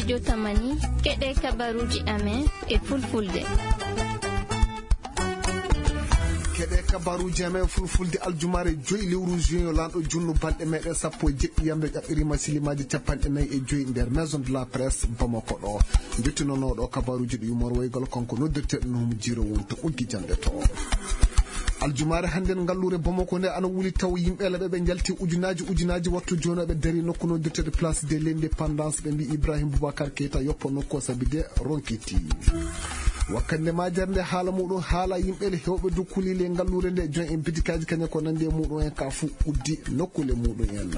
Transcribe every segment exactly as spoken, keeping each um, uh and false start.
Jotamani, keɗe kabaruuji amen e fulfulde. Keɗe kabaruuji amen fulfulde aljumaare joyi lewru juin, yo lanɗo junnu balɗe meɗen sappo e jeɗɗi yamre ƴaɓɓirima silimaaji capanɗe nayi e joyi nder Maison de la Presse Bamako ɗo. Jottinonooɗo kabaruuji ɗi Umar Waygal, kanko noddirteɗo no Hum Jiro woni to ɓoggi jannde to. Aljumaare hannden ngalluure Bamako nde ana wuli taw yimɓe laɓe ɓe njalti ujunaaji ujunaaji wattu jooni ɓe dari nokku noddirteɗo Place de l'Indépendance, ɓe mbi Ibrahim Boubacar Keita yoppo nokku o sabi de ronkiti. Wakkande majere nde haala muɗum haala yimɓe le hewɓe dokkuli le ngalluure nde jon en bitikaji kañe ko nandi e muɗum en ka fu uddi nokkule muɗum en.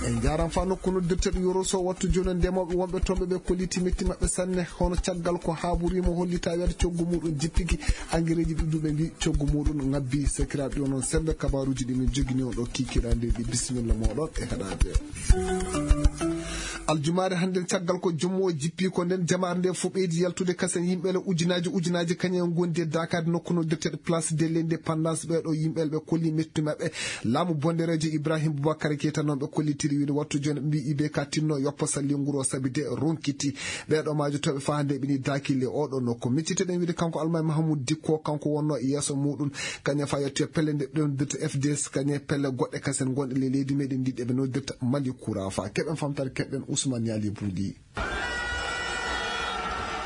En jaran fa nokku noddirteɗo Yoroso wattu jooni ndemoɓe wonɓe toon ɓe ɓe kolliti metti maɓɓe sanne, hono caggal ko haaburima hollita weeta coggu muɗum jippiki, angereji ɗuɗɗuɓe mbi coggu muɗum ngabbi. Sakiraɓe ɗo noon sembe kabaruji ɗi min jogini on ɗo kikiraɗe ɗi, bisimilla moɗon e heɗade. Aljumaare hannden caggal ko jommo o jippi ko nden jamaare nde fof ɓeydi yaltude kasen yimɓe le ujunaji ujunaji kañum en gondi e dakade nokku noddirteɗo Place de l'Indépendance. Ɓeɗo yimɓe le ɓe kolli metti maɓɓe laamu bonderejo Ibrahim Boubacar Keita noon ɓe kollitiri wiide wattu joni ɓe mbi I B K tinno yoppo salli nguro sabi de ronkiti ɓeɗo majo toɓe fa hande ɓini dakile oɗo nokku. Micciteɗen wiide kanko Almami Mahamoud Dikko, kanko wonno e yeeso muɗum kañum fa yettoyo pelle nde ɓe noddirta F D S, kañum e pelle goɗɗe kasen gonɗe le leydi meɗen ndi ɗe ɓe noddirta Mali Kurafa. Keɓen famtare keɓen Ousmane Yali Bouly.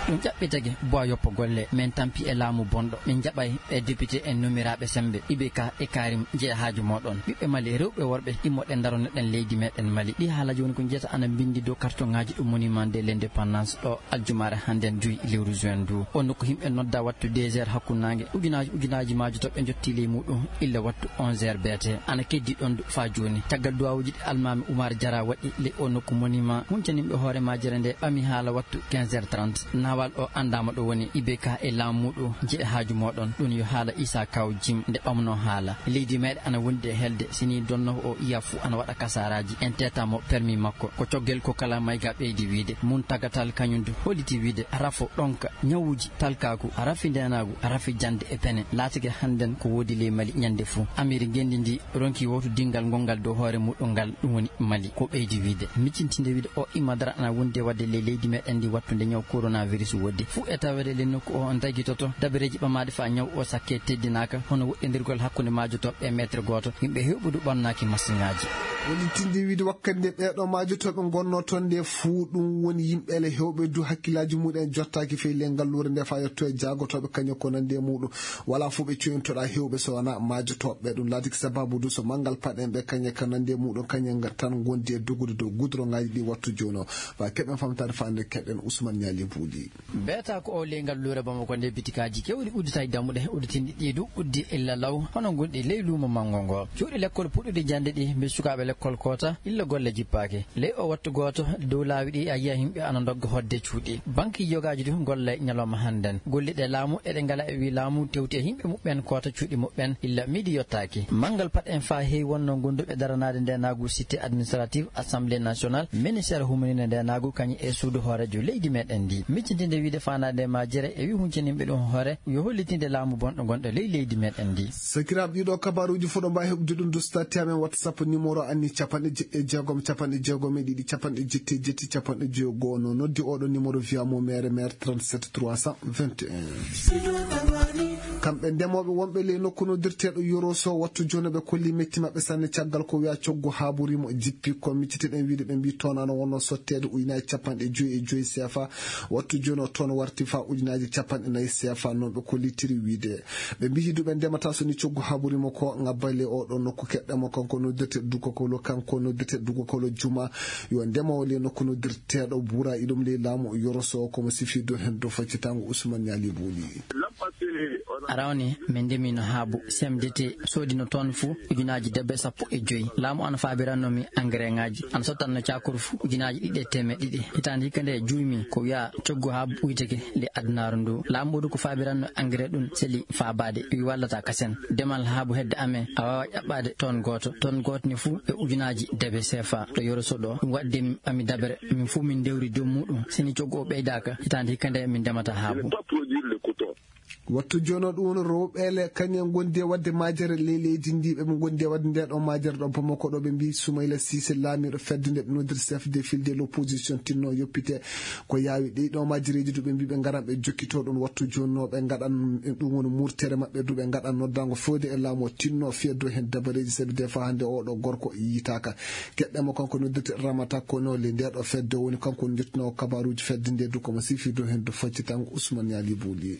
Ɗum ƴaɓɓitake boa yoppo golle men tampi e laamu bonɗo min jaɓay e député en numiraaɓe sembe I B K e Karim jeehaajo mooɗon ɓiɓɓe Mali rewɓe worɓe immoɗen daronoɗen leydi meɗen Mali. Ɗi haala jooni ko njiyata ana mbindi dow kartoŋaaji ɗum monument de l'indépendance ɗo aljumaare hannden joyi lewru juin du. O nokku yimɓe nodda wattu deux heures hakkunnaange ujunaaji ujunaaji maajo to ɓe njotti ley muɗum illa wattu onze heures beete ana keddi ɗon du faa jooni. Caggal duwawuji ɗi Almami Umar Jara waɗi ley o nokku monument huncaninɓe hoore majere nde ɓami haala wattu quinze heures trente. Nawal o anndama ɗo woni I B K e laamu muɗum jeehaajo mooɗon ɗum yo haala Isa Kaw Jim nde ɓamno haala leydi meɗe ana wondi e helde sini donno o iya fu ana waɗa kasaraji en tetamo permis makko ko coggel ko kala mayga ɓeydi wiide mun tagatal kañum du holliti wiide rafo ɗonka ñawuji talkaku rafi ndenagu rafi jande e pene laatike hannden ko woodi ley Mali ñande fu. Amiri ngenndi ndi ronki wowtodingal ngongal dow hoore muɗum ngal ɗum woni Mali ko ɓeydi wiide miccintinde wiide o imma dara ana wondi e waɗde ley leydi meɗen ndi wattude ñaw coronavirus woodi fuu e tawede le nokku o on dagitoto dabareji ɓamaɗe fa ñaw o sakke teddinaka hono woɗɗindirgol hakkunde maajo toɓɓe e metre gooto yimɓe hewɓe du ɓannaki masiŋaaji. Woni tindi wiide wakkati nde ɓeeɗo maajo toɓe ngonno toon nde fuu ɗum woni yimɓe ele hewɓe du hakkillaji muɗen jottaki fey le ngalluure nde fa yetto e jaagotoɓe kañum ko nandi e muɗum. Wala fof ɓe coyintoɗa hewɓe so wona maajotoɓe ɓe ɗum laatiki sababu du so manngal paɗen ɓe kañe ka nandi e muɗum kañe tan gondi e dogude dow gudrongaji ɗi wattu jono fa keɓen famtade fande keɗen Ousmane Niali Buuɗi. Beeta ko o ley ngal luure Bamako nde bitikaji kewɗi udditay dammuɗe udditinɗi ɗi du uddi illa law hono gonɗi ley luumo manngo ngo. Cuuɗi lekkol puɗɗuɗi jande ɗi mbi sukaaɓe lekkol koota illa golle jippaaki. Ley o wattu gooto dow laawi ɗi a yiya yimɓe ana ndogga hodde cuuɗi. Banki yogaaji du golla ñalawma hannden. Golliɗe laamu eɗe ngala e wi laamu tewti e yimɓe muɓɓen koota cuuɗi muɓɓen illa midi yottaaki. Manngal pat en faa heewi wonno gonduɓe daranaade ndeenaagu cité administrative assemblée nationale ministère humanine ndeenaagu kañum e suudu hooreejo leydi meɗen ndi. Miccitinde wiide faanaade e majjere e wi huncaninɓe ɗum hoore yo hollitinde laamu bonɗo gonɗo ley leydi meɗen ndi. Sakiraaɓe ɗiɗo kabaruuji fof ɗo mbaawi heɓude ɗum du stati amen whatsapp numéro anni capanɗe jeɗɗi e jeegom capanɗe jeegom e ɗiɗi capanɗe jetti e jetti capanɗe jeego no noddi oɗo numéro via mo mere mere trente-sept trois cent vingt et un. Kamɓe ndemooɓe wonɓe ley nokku noddirteeɗo yoroso wattu jooni ɓe kolli metti maɓɓe sanne caggal ko wiya coggu haaburimo jippi ko micciteɗen wiide ɓe mbi toon ana wonno sotteede ujunaaji capanɗe joyi e joyi sefa. Wattu jooni o toon warti fa ujunaaji capanɗe nayi sefa noon ɓe kollitiri wiide ɓe mbiyi du ɓe ndemata so ni coggu haɓurima ko ngabba le oɗo nokku keɗɗamo kanko noddirte dugokolo kanko noddirte dugokolo juma yo ndemowo le nokku noddirteɗo bura iɗum le laamu yoroso komo sifi do hen do faccitango Ousmane Niali Buuli. Arawni min ndemino haabu C M D T sodino toon fu ujunaaji debbe sappo e joyi laamu ana faabiranno mi engrais ngaji ana sottanno cakuru fu ujunaaji ɗiɗi e temeɗe ɗiɗi hitaande hikka nde juumi ko wiya coggu haabu uyteke le adunaaru ndu laamu du ko faabiranno engrais ɗum seli faabaade wi wallata kasen demal haabu hedde amen a waawa ƴaɓɓaade toon gooto toon gooto ni fuu e ujunaaji debe sefa ɗo yoroso ɗo ɗum waɗde ɓami dabere min fuu min ndewri dow muɗum seni coggu o ɓeydaaka hitaande hikka nde min ndemata haabu. Wattu jooni o, ɗum woni rewɓe ele kañum en ngondi e waɗde majere ley leydi ndi, ɓe ɓe ngondi e waɗde nde ɗo majere ɗo Bamako ɗo, ɓe mbi Soumaïla Cissé, laamiiɗo fedde nde ɓe noddirta chef de file de l'opposition, tinno yoppite. Ko yaawi ɗi ɗo majereeji du, ɓe mbi ɓe ngaran ɓe jokkito ɗum. Wattu jooni o, ɓe ngaɗan ɗum woni murtere maɓɓe du, ɓe ngaɗan noddaango fewde e laamu o, tinno fiyee dow heen dabareeji, sabi des fois hannde oɗo gorko yiytaaka. Keɗɗen mo, kanko noddirte Ramata Kono, le nde ɗo fedde woni kanko woni jottinoowo kabaruuji fedde nde du, ko mo sifi dow heen du faccitango Ousmane Yali Bouli.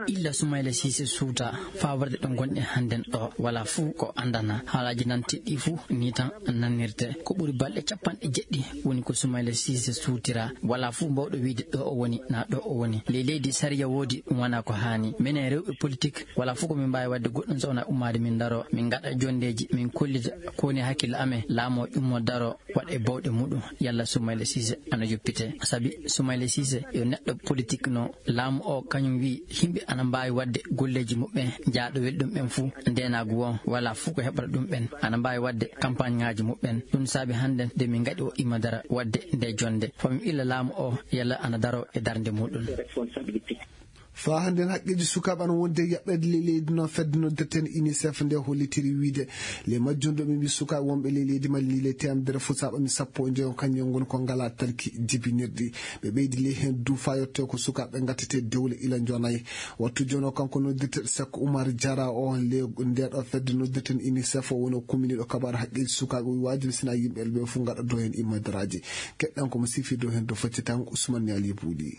Illa Soumaïla Cissé suuta faa warde ɗo ngonɗen hannden ɗo, wala fuu ko anndana. Haalaaji nan teɗɗi fuu ni tan nannirte. Ko ɓuri balɗe capanɗe jeɗɗi woni ko Soumaïla Cissé suutira. Wala fuu mbawɗo wiyde ɗo o woni, naa ɗo o woni. Ley leydi sariya woodi, ɗum wona ko haani. Minen rewɓe politik, wala fuu ko min mbaawi waɗde goɗɗum so wonaa ummaade min ndaro, min ngaɗa jonndeeji, min kollita ko woni hakkille amen, laamu o ƴummo daro, waɗa e bawɗe muɗum, yalla Soumaïla Cissé ana yoppite. Sabi Soumaïla Cissé yo neɗɗo politik no, laamu o kañum wi yimɓe ana mbaawi waɗde golleeji muɓɓen, jaaɗo weli ɗum ɓen fuu, ndeenaagu o wala fuu ko heɓata ɗum ɓen, ana mbaawi waɗde campagne ŋaaji muɓɓen. Ɗum saabi hannden nde min ngaɗi o imma dara waɗde nde jonnde. Faa min illa laamu o yalla ana daro e darnde muɗum. Faa hannden haqqeeji sukaaɓe ana wondi e yaɓɓeede ley leydi noon, fedde noddirten UNICEF nde hollitiri wiyde le majjum ɗo ɓe mbi sukaaɓe wonɓe ley leydi Mali le teemedere fuu, saaɓa mi sappo e njoyo kañum ngoni ko ngalaa talki jibinirɗi. Ɓe ɓeydi ley heen du faa yottee ko sukaaɓe ngattete dewle ila njonayi. Wattu jooni o, kanko noddirteeɗo Seck Oumar Diarra o, le nde ɗo fedde noddirten UNICEF o woni o kuminiiɗo kabaar haqqeeji sukaaɓe, o wi waajibi sina yimɓe ɓe fuu ngaɗa dow heen immadaraaji. Keɗɗen ko mo sifi dow heen dow faccitango Ousmane Yali Bouli.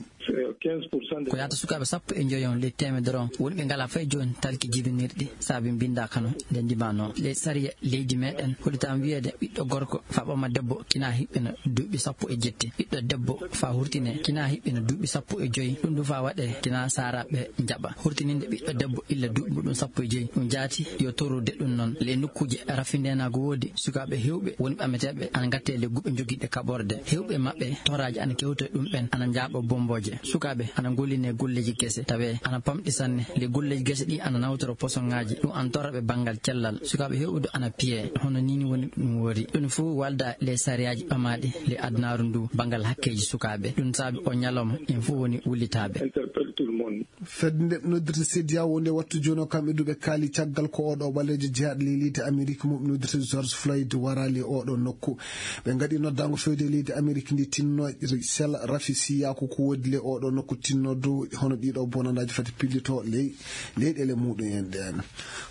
Ko yahata sukaaɓe sappo e njoyo on ley teemedere on woni ɓe ngalaa fay jooni talki jibinirɗi, saabi mbinndaaka no nde ndimano. Ley sariya leydi meɗen hollitaama wiyeede ɓiɗɗo gorko faa ɓama debbo kina hiɓɓina duuɓi sappo e jetti, ɓiɗɗo debbo faa hurtine kina hiɓɓina duuɓi sappo e joyi, ɗum du faa waɗe kina saaraaɓe njaɓa. Hurtininde ɓiɗɗo debbo illa duuɓi muɗum sappo e joyi, ɗum jaati yo torrude ɗum noon. Ley nokkuuje rafi ndeenaagu woodi sukaaɓe heewɓe woni ɓameteeɓe ana ngattee ley guɓe jogiiɗe kaɓorde. Heewɓe maɓɓe toraaji ana kewta e ɗum ɓen, ana njaaɓa bombooje. Sukaaɓe ana ngollinee golleeji gese, tawee ana pamɗi sanne. Ley golleeji gese ɗi ana nawtora posoŋaaji, ɗum ana torra ɓe banngal cellal. Sukaaɓe heewɓe du ana piyee, hono nii ni woni ɗum woori. Ɗum fof walda ley sariyaaji ɓamaaɗi ley adunaaru ndu banngal hakkeeji sukaaɓe. Ɗum saabi o ñalawma en fof woni wullitaaɓe. Fedde nde ɓe noddirta CEDEAO nde wattu jooni o, kamɓe du ɓe kaali caggal ko oɗo ɓaleejo jeyaaɗo ley leydi Amerik mo ɓe noddirta George Floyd waraali e oɗo nokku. Ɓe ngaɗi noddaango fewde e leydi Amerik ndi tinno sela rafi siyaaku ko woodi ley oɗo nokku, tinno dow hono ɗiɗo bonandaaji fati pillito ley leyɗeele muɗum en ɗen.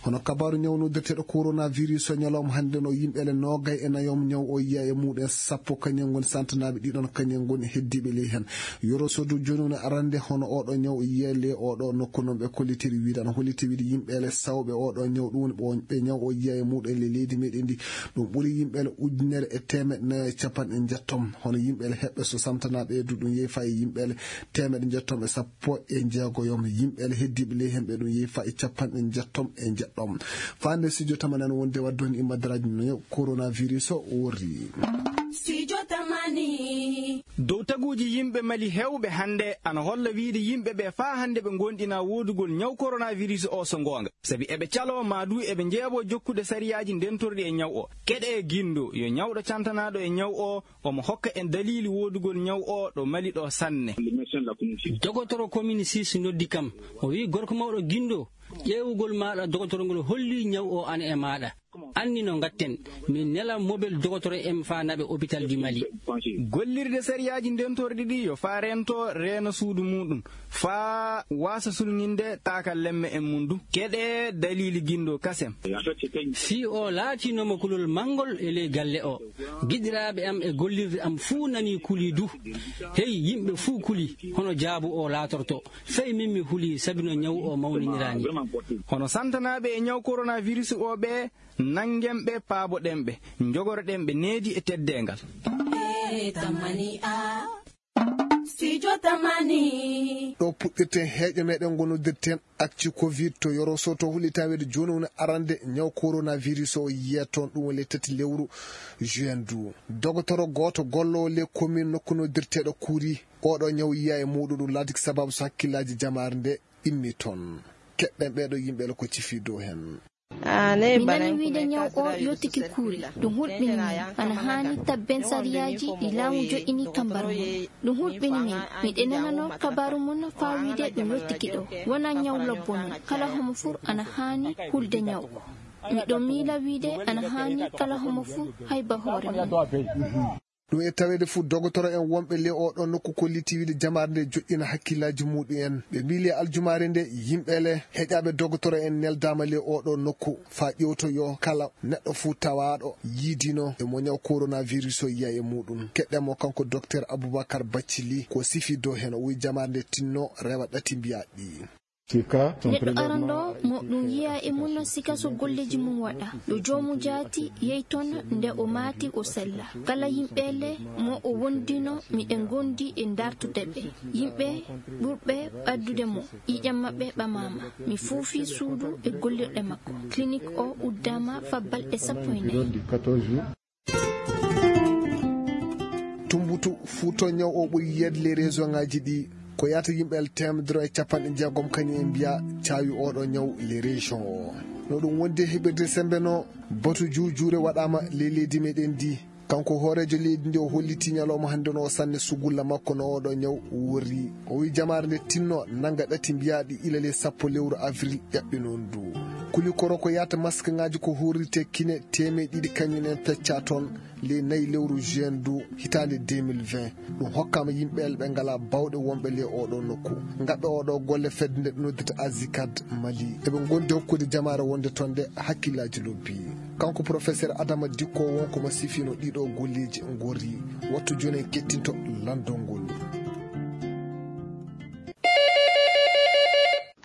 Hono kabaaru ñaw noddirteeɗo coronavirus o, ñalawma hannde no yimɓeele noogay e nayo ñaw o yiya e muɗum sappo kañum ngoni santanaaɓe, ɗiɗon kañum ngoni heddiiɓe ley heen. Yoro sodu jooni woni arande hono oɗo ñaw yiya ley oɗo nokku, noon ɓe kollitiri wiide, ana holliti wiide yimɓeele sawɓe oɗo ñaw, ɗum woni ɓe ñaw o yiya e muɗum ley leydi meɗen ndi, ɗum ɓuri yimɓeele ujunere e teemeɗɗe nayo e capanɗe njettom. Hono yimɓeele heɓɓe so santanaaɓe e du, ɗum yehi faa e yimɓeele teemeɗɗe njettom e sappo e jeegoyom. Yimɓeele heddiiɓe ley heen ɓe ɗum yehi faa e capanɗe njettom e njeɗɗom. Faa nde studio tamani ana wondi e waɗde on immadaraaji no coronavirus o worri. Studio tamani. Dow taguuji yimɓe Mali heewɓe hannde ana holla wiide yimɓe ɓe faa hannde ɓe ngoonɗinaa woodugol ñaw coronavirus o so ngoonga. Sabi eɓe caloo maa du eɓe njeeɓoo jokkude sariyaaji ndentorɗi e ñaw o. Keɗee Gindo yo ñawɗo cantanaaɗo e ñaw o, omo hokka en daliili woodugol ñaw o ɗo Mali ɗo sanne. Dogotoro Komini Sis noddi kam. O wi'i, "Gorko mawɗo Gindo, ƴeewugol maaɗa dogotoro ngol hollii ñaw o ana e maaɗa. Anni no ngatten, min nela mobel dogotoro en faa naɓe opital di Mali." Gollirde sariyaaji ndentorɗi ɗi yo faa reento reena suudu muɗum, faa waasa sulŋinde taakalemme en mum du. Keɗee daliili Gindo kasem. Fii o laatinooma kulol manngol e ley galle o. Giɗiraaɓe am e gollirde am fuu nanii kulii du. Hey, yimɓe fuu kulii, hono jaabu o laatorto. Fay min mi hulii sabi no ñaw o mawniniraani. Hono santanaaɓe e ñaw coronavirus o ɓe, nanngen ɓe, paaboɗen ɓe, njogoroɗen ɓe needi e teddeengal. Studio Tamani. Ɗo puɗɗirten heeƴo meɗen ngo noddirten Actu Covid to Yoro Soto, hullitaa wiide jooni woni arande ñaw coronavirus o yiyee toon, ɗum woni le tati lewru juin du. Dogotoro gooto golloowo le commune nokku noddirteeɗo Kuuri, oɗo ñaw yiyaa e muuɗum, ɗum laati ko sababu so hakkillaaji jamaare nde immi toon. Keɗɗen ɓeeɗo yimɓe ko cifi dow heen. Mi nani wiide ñaw o yottike kuuri. Ɗum hulɓini min. Ana haani tabben sariyaaji ɗi laamu joƴƴini kambar mum. Ɗum hulɓini min. Miɗen nanano kabaaru mum faa wiide ɗum yottike ɗo. Wonaa ñaw lobbo non. Kala homo fuu ana haani hulde ñaw o. Miɗo miila wiide ana haani kala homo fuu hayba hoore mum. Ɗum e taweede fuu, dogotoro en wonɓe ley oo ɗoo nokku kollitii wiide jamaare nde joƴƴina hakkillaaji muuɗum en. Ɓe mbiyi ley aljumaare nde, yimɓe le heƴaaɓe dogotoro en neldaama ley oo ɗoo nokku faa ƴeewtoyoo kala neɗɗo fuu tawaaɗo yiidino e mo ñaw coronavirus o yiya e muuɗum. Keɗɗen mo kanko Doktor Abubakar Baccili ko sifi dow heen. O wiyi jamaare nde tinno rewa ɗati mbiyaaɗi ɗi. Neɗɗo arandoo mo ɗum yiya e mum no sika so golleeji mum waɗa. Yo joomu jaati yehi toon nde o maati o sella. Kala yimɓe le mo o wondino miɗen ngondi e dartude ɓe. Yimɓe ɓurɓe ɓaddude mo, ƴiiƴam maɓɓe ɓamaama. Mi fuufi suudu e gollirɗe makko. Clinique o uddaama faa balɗe sappo e nayi. Tumbutu Fuuta, ñaw o ɓuri yiyeede ley région ŋaaji ɗi. Ko yaata yimɓe teemedere e capanɗe jeegom kañum en mbiya caawi oo ɗoo ñaw ley région o. No ɗum wondi e heɓirde semmbe no, batu juujuure waɗaama ley leydi meɗen ndi. Kanko hooreejo leydi ndi o hollitii ñalawma hannde no o sanne sugulla makko no oo ɗoo ñaw worri. O wiyi jamaare nde tinno nannga ɗati mbiyaaɗi ila ley sappo lewru avril ƴaɓɓinoo ndu. Kulikoro ko yaata maskŋaaji ko huurirtee kine teemeɗe ɗiɗi kañum en peccaa toon ley nayi lewru juin ndu hitaande deux mille vingt. Ɗum hokkaama yimɓe le ɓe ngalaa baawɗe wonɓe ley oo ɗoo nokku. Ngaɓɓe oo ɗoo golle fedde nde ɓe noddirta Azicad Mali. Eɓe ngondi hokkude jamaare wonde toon nde hakkillaaji lobbi. Kanko Professeur Adama Dikko wonko mo sifino ɗii ɗoo golleeji ngorri. Wattu jooni en kettinto lanndol ngol.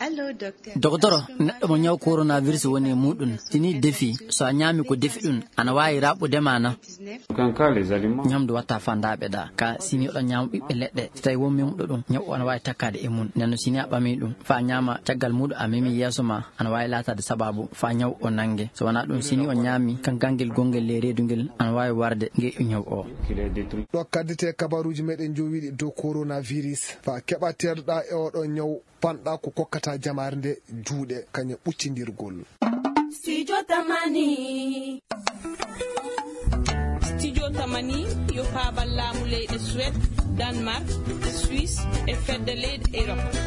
Allo, docteur. Dogotoro, neɗɗo mo ñaw coronavirus woni e muuɗum, si nii defi, so a ñaami ko defi ɗum, ana waawi raɓɓude ma na? Ñamdu watta fandaaɓe ɗa, ka si nii oɗon ñaama ɓiɓɓe leɗɗe, so tawi won memuɗo ɗum, ñaw o ana waawi takkaade e mum. Nden no si nii a ɓami ɗum, faa ñaama caggal muuɗum a memi yeeso ma, ana waawi laataade sabaabu faa ñaw o nannge. So wanaa ɗum, si nii on ñaami kan ganngel gonngel ley reedu ngel, ana waawi warde ngel ñaw o. Ɗo kaddete kabaruuji meɗen jowiiɗi dow coronavirus. Faa keɓa teeɗoɗaa e oɗo ñaw, panɗa ko kokkata jamaare nde juuɗe kañum ɓuccindirgol. Studio Tamani. Studio Tamani yo faabal laamu leyɗe Suède, Danemark, Suisse e fedde leyɗe Europe.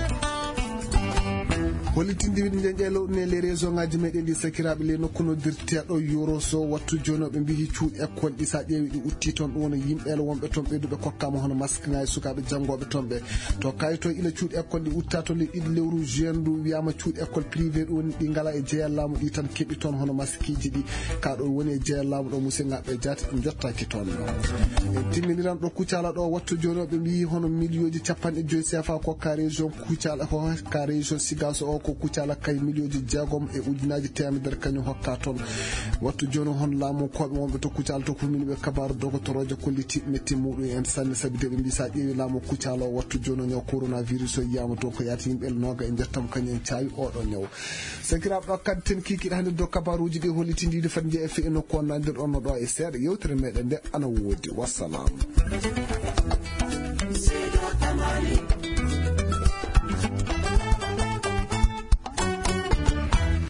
Hollitindiiɗi njeñƴe lowɗi ne les région ŋaaji meɗen ɗi sakiraaɓe ley nokku noddirteeɗo Yoro so wattu jooni o ɓe mbiyi cuuɗi école ɗi sa ƴeewi ɗi utti toon ɗum woni yimɓe ele wonɓe toon ɓeyduɓe kokkaama hono masque ŋaaji sukaaɓe janngooɓe toon ɓe. To kayito ila cuuɗi école ɗi utta to ley ɗiɗi lewru juin ndu wiyaama cuuɗi école privé ɗum woni ɗi ngala e jeeyal laamu ɗi tan keɓi toon hono maskiiji ɗi. Ka ɗo woni e jeeyal laamu ɗo musidɓe jaati jottaaki toon. E timminiran ɗo Kucala ɗo wattu jooni o ɓe mbiyi hono miliyooji capanɗe joyi C F A ko ka région Kucala ko ka région Sigaso o ko Kucala kay miliyooji jeegom e ujunaaji teemedere kañum hokka toon. Wattu jooni hon laamu koɓe wonɓe to Kucala to kumini ɓe kabaru dogotoroojo kolliti metti muɗum en sanne sabi de ɓe mbi sa ƴeewi laamu Kucala o wattu jooni o ñaw coronavirus o yiyama toon ko yaati yimɓe nooga e njettam kañum en caawi oɗo ñaw. Sakiraaɓe ɗo kadi ten kikiɗe hannde dow kabaruuji ɗi hollitindiiɗi fat njeeya e fe'i nokku on nandir on no ɗo e seeɗa yewtere meɗen nde ana woodi. Wassalam.